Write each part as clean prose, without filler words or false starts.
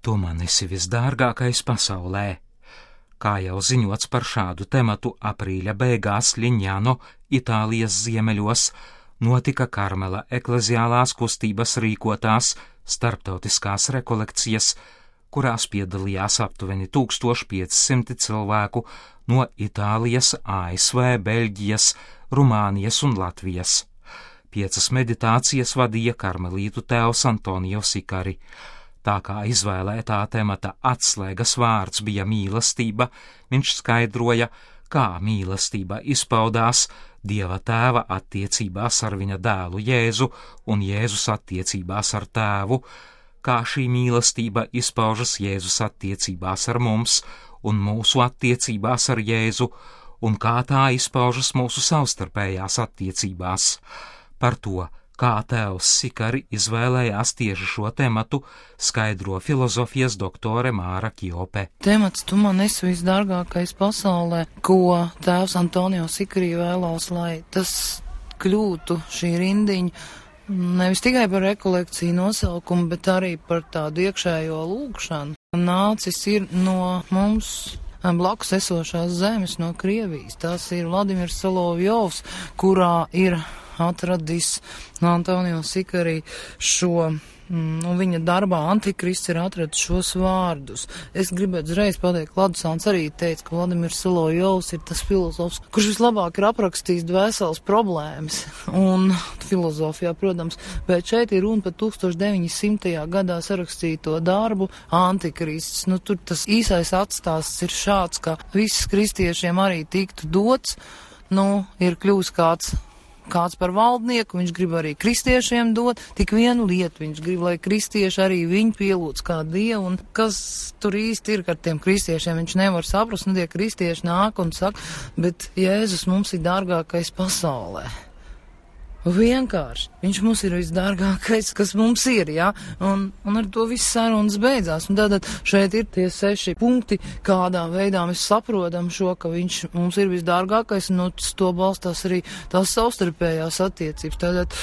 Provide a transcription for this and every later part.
Tu man esi visdārgākais pasaulē. Kā jau ziņots par šādu tematu aprīļa beigās Liņāno, Itālijas ziemeļos, notika Karmela ekleziālās kustības rīkotās starptautiskās rekolekcijas, kurās piedalījās aptuveni 1500 cilvēku no Itālijas, ASV, Beļģijas, Rumānijas un Latvijas. 5 meditācijas vadīja karmelītu tēvs Antonio Sikari. Tā kā izvēlētā temata atslēgas vārds bija mīlestība, viņš skaidroja, kā mīlestība izpaudās Dieva tēva attiecībās ar viņa dēlu Jēzu un Jēzus attiecībās ar tēvu, kā šī mīlestība izpaužas Jēzus attiecībās ar mums un mūsu attiecībās ar Jēzu, un kā tā izpaužas mūsu savstarpējās attiecībās. Par to, kā tēvs Sikari izvēlējās tieši šo tematu, skaidro filozofijas doktore Māra Kjope. Temats Tu man esi visdārgākais pasaulē, ko tēvs Antonio Sikari vēlās, lai tas kļūtu šī rindiņa nevis tikai par rekolekciju nosaukumu, bet arī par tādu iekšējo lūgšanu. Nācis ir no mums blakus esošās zemes, no Krievijas. Tas ir Vladimirs Solovjovs, kurā ir atradis Antonio Sikari šo, viņa darbā Antikrists ir atradis šos vārdus. Es gribētu uzreiz pateikt, Ladusāns arī teica, ka Vladimirs Solovjovs ir tas filozofs, kurš vislabāk ir aprakstījis dvēseles problēmas un filozofijā, protams, bet šeit ir runa par 1900. gadā sarakstīto darbu Antikrists. Tur tas īsais atstāsts ir šāds, ka viss kristiešiem arī tiktu dots, ir kļūst kāds par valdnieku, viņš grib arī kristiešiem dot, tik vienu lietu viņš grib, lai kristieši arī viņu pielūdz kā Dievu, un kas tur īsti ir ar tiem kristiešiem, viņš nevar saprast, tie kristieši nāk un saka, bet Jēzus mums ir dārgākais pasaulē. Vienkārši, viņš mums ir visdārgākais, kas mums ir, un ar to viss sarunas beidzās, un tātad šeit ir tie 6 punkti, kādā veidā mēs saprotam šo, ka viņš mums ir visdārgākais, un to balstās arī tās savstarpējās attiecības. Tātad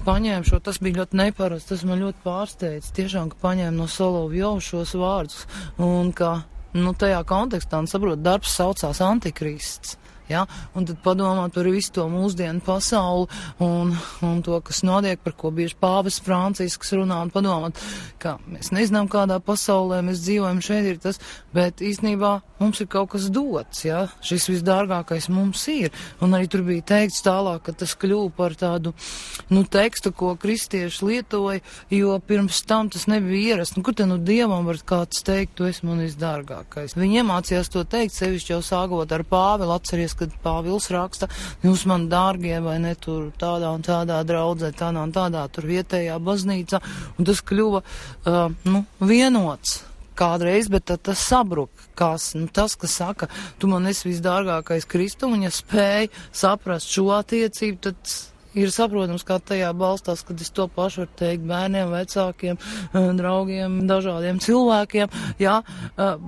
paņēma šo, tas bija ļoti neparasts, tas man ļoti pārsteidz, tiešām, ka paņēma no Solovjova šos vārdus, un ka, tajā kontekstā, saprot, darbs saucās Antikrists. Un tad padomāt par visu to mūsdienu pasauli un to, kas notiek, par ko bieži pāvests Francisks runā, un padomāt, ka mēs nezinām, kādā pasaulē mēs dzīvojam, šeit ir tas, bet īstenībā mums ir kaut kas dots, šis visdārgākais mums ir, un arī tur bija teikts tālāk, ka tas kļuva par tādu, tekstu, ko kristieši lietoja, jo pirms tam tas nebija ierasts, kur te Dievam var kāds teikt, tu esi man visdārgākais. Viņi iemācījās to teikt, sevišķi jau sākot ar Pāvilu, atceries, kad Pāvils raksta, jūs man dārgie, vai ne, tur tādā un tādā draudzē, tādā un tādā, tur vietējā baznīcā, un tas kļuva, vienots kādreiz, bet tad tas sabruk, tas, kas saka, tu man esi visdārgākais Kristu, un ja spēj saprast šo attiecību, tad ir saprotams, kā tajā balstās, kad es to pašu varu teikt bērniem, vecākiem, draugiem, dažādiem cilvēkiem,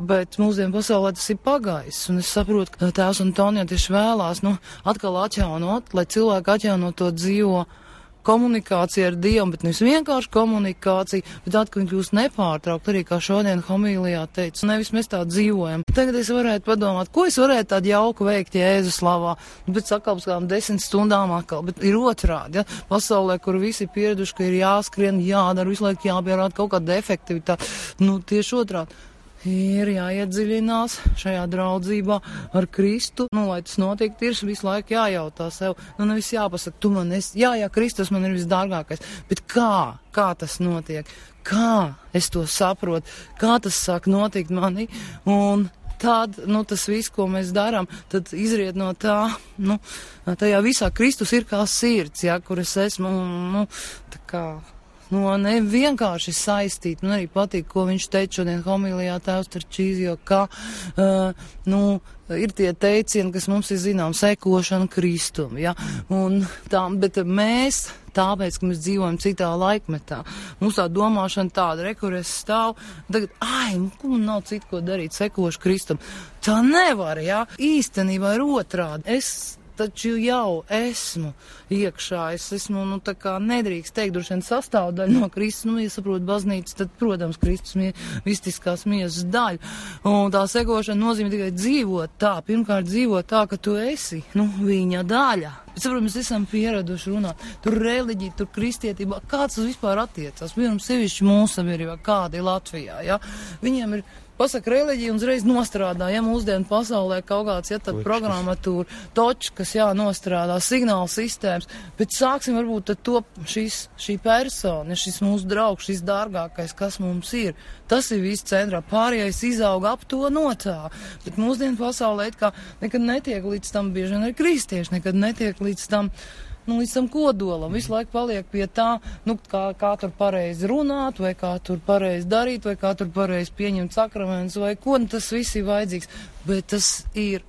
bet mūsdienu pasaulē tas ir pagājis, un es saprotu, ka tēvs Antonio tieši vēlās, atkal atjaunot, lai cilvēki atjaunot to dzīvo komunikācija ar Dievu, bet nevis vienkārši komunikācija, bet tā, ka viņi kļūst nepārtraukt, arī kā šodien homīlijā teica, nevis mēs tā dzīvojam. Tagad es varētu padomāt, ko es varētu tādu jauku veikt Jēzus slavā, bet sakals kādām 10 stundām atkal, bet ir otrādi, pasaulē, kur visi ir pieraduši, ka ir jāskrien, jādara, visu laiku jāpierāda kaut kāda efektivitāte, tieši otrādi. Ir jāiedziļinās šajā draudzībā ar Kristu, lai tas notiktu, ir visu laiku jājautā sev, nevis jāpasaka, tu man esi, Kristus man ir visdārgākais, bet kā tas notiek, kā es to saprotu, kā tas sāk notikt manī, un tad, tas viss, ko mēs darām, tad izriet no tā, tajā visā Kristus ir kā sirds, kur es esmu, tā kā ne vienkārši saistīt, man arī patīk, ko viņš teica šodien homīlijā tēvs Tarčīzio, ka, ir tie teicieni, kas mums ir zinām, sekošana Kristum, un tā, bet mēs, tāpēc, ka mēs dzīvojam citā laikmetā, mums tā domāšana tāda, kur es stāvu, tagad, man nav citu, ko darīt, sekošu Kristum. Tā nevar, īstenībā ir otrādi. taču jau esmu iekšā, es esmu, tā kā nedrīkst teikt, droši vien sastāvdaļa no Kristus, ja saprot baznīcas, tad, protams, Kristus mistiskās miesas daļa. Un tā sekošana nozīmē tikai dzīvot tā, pirmkārt dzīvot tā, ka tu esi, viņa daļa. Bet, saprot, mēs esam pieraduši runāt, tur reliģija, tur kristietība, kāds tas vispār attiecās, piemēram, sevišķi mūsu sabiedrībā, kāda ir Latvijā, ja? Viņiem ir pasaka reliģija un uzreiz nostrādā, ja mūsdienu pasaulē kaut kāds, ja tad programmatūra, točkas, nostrādā, signāla sistēmas, bet sāksim varbūt tad to šī persona, šis mūsu draugs, šis dārgākais, kas mums ir, tas ir viss centrā, pārējais izauga ap to notā, bet mūsdienu pasaulē it kā nekad netiek līdz tam, bieži vien arī kristieši, nekad netiek līdz tam kodolam, visu laiku paliek pie tā, kā tur pareizi runāt, vai kā tur pareizi darīt, vai kā tur pareizi pieņemt sakramentus, vai ko, tas viss ir vajadzīgs, bet tas ir,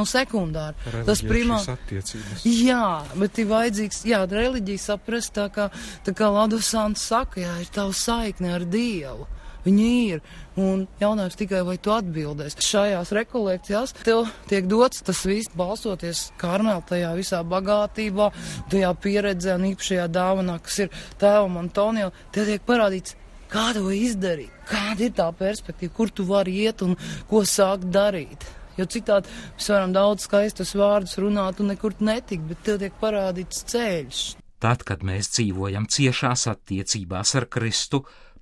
sekundāri. Tas primāri. Attiecības. Jā, bet ir vajadzīgs, reliģija saprast, tā kā Ladusants saka, ir tava saikne ar Dievu. Viņi ir, un jautājums tikai, vai tu atbildēs. Šajās rekolekcijās tev tiek dots tas viss, balstoties Karmela tajā visā bagātībā, tajā pieredzē un īpašajā dāvanā, kas ir tēvam Antonio, tev tiek parādīts, kā to izdarīt, kāda ir tā perspektīva, kur tu vari iet un ko sākt darīt. Jo citādi mēs varam daudz skaistus vārdus runāt un nekur netikt, bet tev tiek parādīts ceļš. Tad, kad mēs dzīvojam ciešās attiecībās ar Kristu,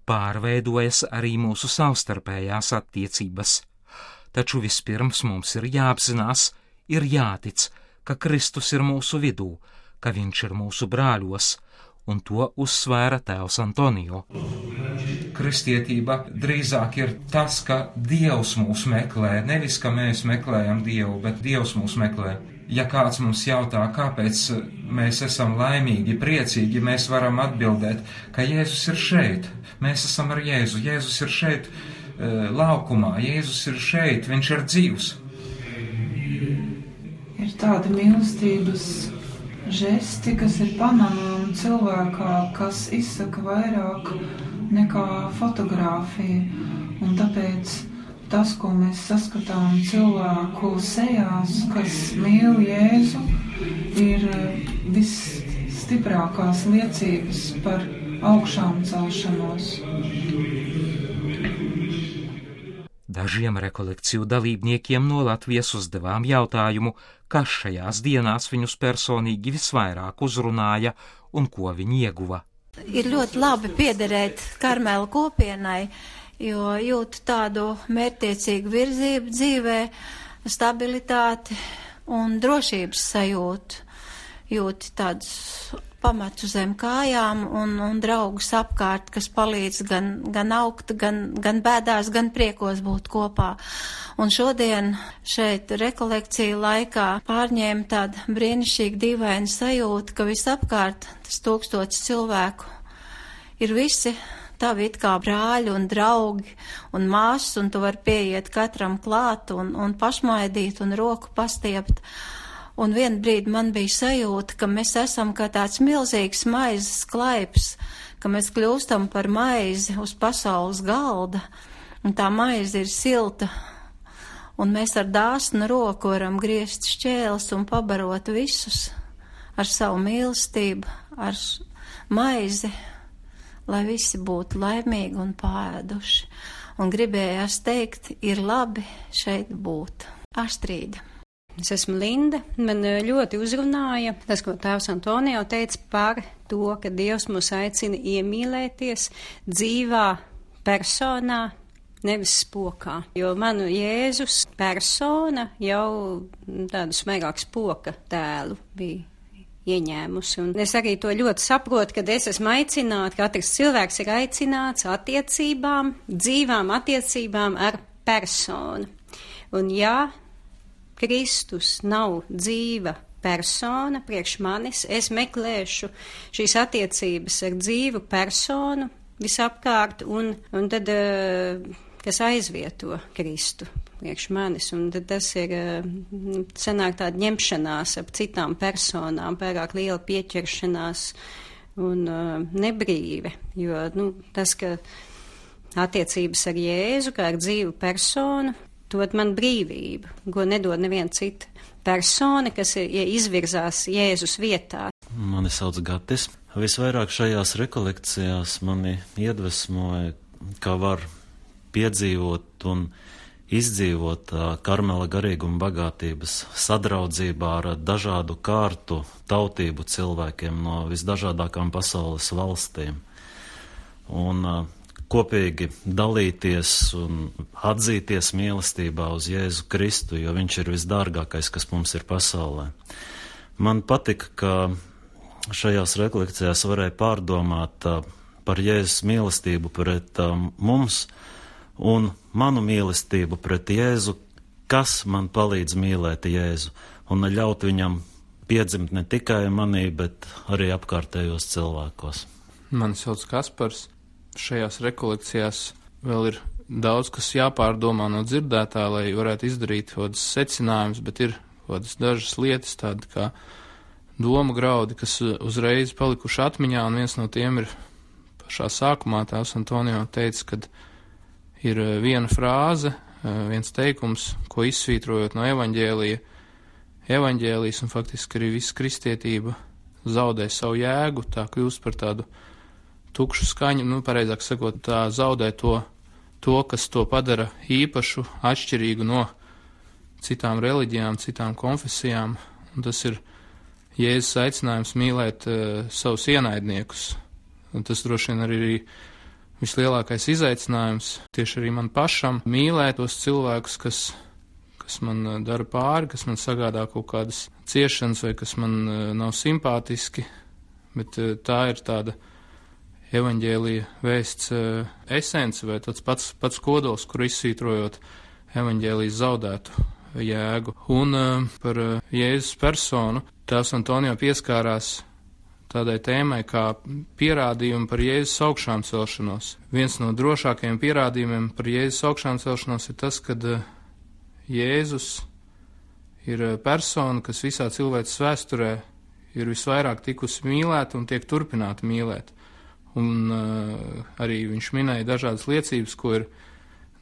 pārveidojas arī mūsu savstarpējās attiecības. Taču vispirms mums ir jāapzinās, ir jātic, ka Kristus ir mūsu vidū, ka viņš ir mūsu brāļos, un to uzsvēra tēvs Antonio. Kristietība drīzāk ir tas, ka Dievs mūs meklē, nevis, ka mēs meklējam Dievu, bet Dievs mūs meklē. Ja kāds mums jautā, kāpēc mēs esam laimīgi, priecīgi, mēs varam atbildēt, ka Jēzus ir šeit. Mēs esam ar Jēzu. Jēzus ir šeit laukumā. Jēzus ir šeit. Viņš ir dzīvs. Ir tādi mīlestības žesti, kas ir panāmami cilvēkā, kas izsaka vairāk nekā fotogrāfija. Un tāpēc tas, ko mēs saskatām cilvēku sejās, kas mīl Jēzu, ir visstiprākās liecības par augšām celšanos. Dažiem rekolekciju dalībniekiem no Latvijas uzdevām jautājumu, kas šajās dienās viņus personīgi visvairāk uzrunāja un ko viņi ieguva. Ir ļoti labi piederēt Karmela kopienai, jo jūtu tādu mērķtiecīgu virzību dzīvē, stabilitāti un drošības sajūtu. Jūti tādus pamatu zem kājām un draugus apkārt, kas palīdz gan augt, gan bēdās, gan priekos būt kopā. Un šodien šeit rekolekciju laikā pārņēma tāda brīnišķīga dīvaina sajūta, ka visapkārt tas 1000 cilvēku ir visi tavi it kā brāļi un draugi un māsas, un tu vari pieiet katram klāt un pašmaidīt un roku pastiept. Un vienu brīdi man bija sajūta, ka mēs esam kā tāds milzīgs maizes klaips, ka mēs kļūstam par maizi uz pasaules galda, un tā maize ir silta, un mēs ar dāsnu roku varam griezt šķēles un pabarot visus ar savu mīlestību, ar maizi, lai visi būtu laimīgi un pāēduši. Un gribējās teikt, ir labi šeit būt. Astrīda. Es esmu Linda. Man ļoti uzrunāja tas, ko tēvs Antonio teica par to, ka Dievs mūs aicina iemīlēties dzīvā personā, nevis spokā. Jo manu Jēzus persona jau tādu smaigāku spoka tēlu bija ieņēmusi. Un es arī to ļoti saprotu, kad es esmu aicināta, katrs cilvēks ir aicināts attiecībām, dzīvām attiecībām ar personu. Un ja Kristus nav dzīva persona priekš manis, es meklēšu šīs attiecības ar dzīvu personu visapkārt, un tad, kas aizvieto Kristu priekš manis, un tad tas ir, sanāk tāda ņemšanās ap citām personām, pārāk liela pieķeršanās un nebrīve, jo, tas, ka attiecības ar Jēzu, kā ar dzīvu personu, dod man brīvību, ko nedod neviena cita persona, kas izvirzās Jēzus vietā. Mani sauc Gatis. Visvairāk šajās rekolekcijās mani iedvesmoja, kā var piedzīvot un izdzīvot Karmela garīguma bagātības sadraudzībā ar dažādu kārtu tautību cilvēkiem no visdažādākām pasaules valstīm. Un kopīgi dalīties un atzīties mīlestībā uz Jēzu Kristu, jo viņš ir visdārgākais, kas mums ir pasaulē. Man patika, ka šajās rekolekcijās varēja pārdomāt par Jēzus mīlestību pret mums un manu mīlestību pret Jēzu, kas man palīdz mīlēt Jēzu un ļaut viņam piedzimt ne tikai manī, bet arī apkārtējos cilvēkos. Mani sauc Kaspars. Šajās rekolekcijās vēl ir daudz, kas jāpārdomā no dzirdētā, lai varētu izdarīt kādas secinājumus, bet ir kādas dažas lietas, tādas kā doma graudi, kas uzreiz palikuši atmiņā, un viens no tiem ir pašā sākumā tēvs Antonio teica, kad ir viena frāze, viens teikums, ko izsvītrojot no evaņģēlijas, un faktiski arī visa kristietība zaudē savu jēgu, tā kļūst par tādu tukšu skaņu, pareizāk sakot, tā zaudē to, kas to padara īpašu, atšķirīgu no citām reliģijām, citām konfesijām, un tas ir Jēzus aicinājums mīlēt savus ienaidniekus. Un tas droši vien arī vislielākais izaicinājums tieši arī man pašam mīlēt tos cilvēkus, kas man dara pāri, kas man sagādā kaut kādas ciešanas vai kas man nav simpātiski, bet tā ir tāda evaņģēlija vēsts esence vai tāds pats kodols, kur izsvītrojot evaņģēlijas zaudētu jēgu. Un par Jēzus personu tēvs Antonio pieskārās tādai tēmai kā pierādījumi par Jēzus augšām celšanos. Viens no drošākajiem pierādījumiem par Jēzus augšām celšanos ir tas, kad Jēzus ir persona, kas visā cilvēces vēsturē ir visvairāk tikusi mīlēta un tiek turpināta mīlēt. Un arī viņš minēja dažādas liecības, ko ir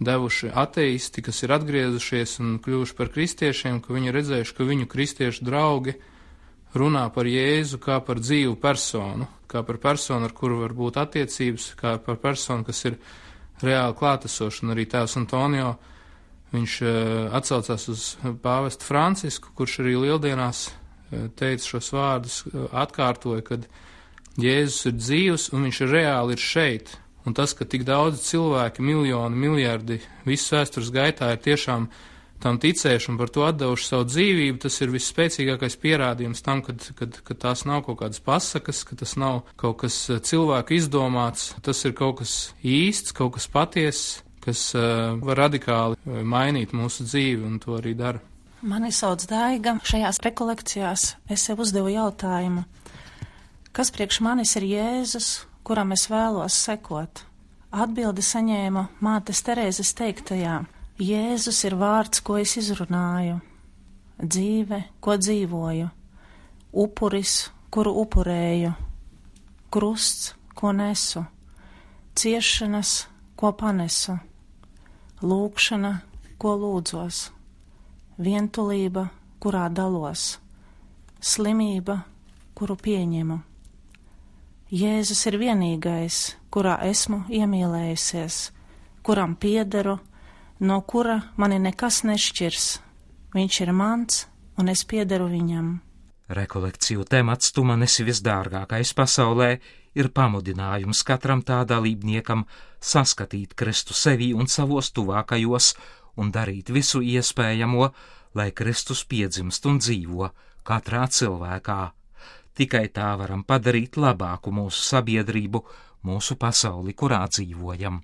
devuši ateisti, kas ir atgriezušies un kļuvuši par kristiešiem, ka viņi redzējuši, ka viņu kristiešu draugi runā par Jēzu kā par dzīvu personu, kā par personu, ar kuru var būt attiecības, kā par personu, kas ir reāli klātesoša. Un arī tēvs Antonio, viņš atsaucās uz pāvestu Francisku, kurš arī lieldienās teica šos vārdus, atkārtoja, kad Jēzus ir dzīvs un viņš reāli ir šeit. Un tas, ka tik daudz cilvēki, miljoni, miljardi, visas vēstures gaitā ir tiešām tam ticējuši un par to atdevuši savu dzīvību, tas ir visspēcīgākais pierādījums tam, ka tās nav kaut kādas pasakas, ka tas nav kaut kas cilvēku izdomāts, tas ir kaut kas īsts, kaut kas patiess, kas var radikāli mainīt mūsu dzīvi, un to arī dara. Mani sauc Daiga. Šajās rekolekcijās es sev uzdevu jautājumu, kas priekš manis ir Jēzus, kuram es vēlos sekot? Atbildi saņēmu mātes Terēzes teiktajā: Jēzus ir vārds, ko es izrunāju, dzīve, ko dzīvoju, upuris, kuru upurēju, krusts, ko nesu, ciešanas, ko panesu, lūgšana, ko lūdzos, vientulība, kurā dalos, slimība, kuru pieņemu. Jēzus ir vienīgais, kurā esmu iemīlējusies, kuram piederu, no kura mani nekas nešķirs. Viņš ir mans, un es piederu viņam. Rekolekciju temats "Tu man esi visdārgākais pasaulē" ir pamudinājums katram tā dalībniekam saskatīt Kristu sevī un savos tuvākajos un darīt visu iespējamo, lai Kristus piedzimst un dzīvo katrā cilvēkā. Tikai tā varam padarīt labāku mūsu sabiedrību, mūsu pasauli, kurā dzīvojam.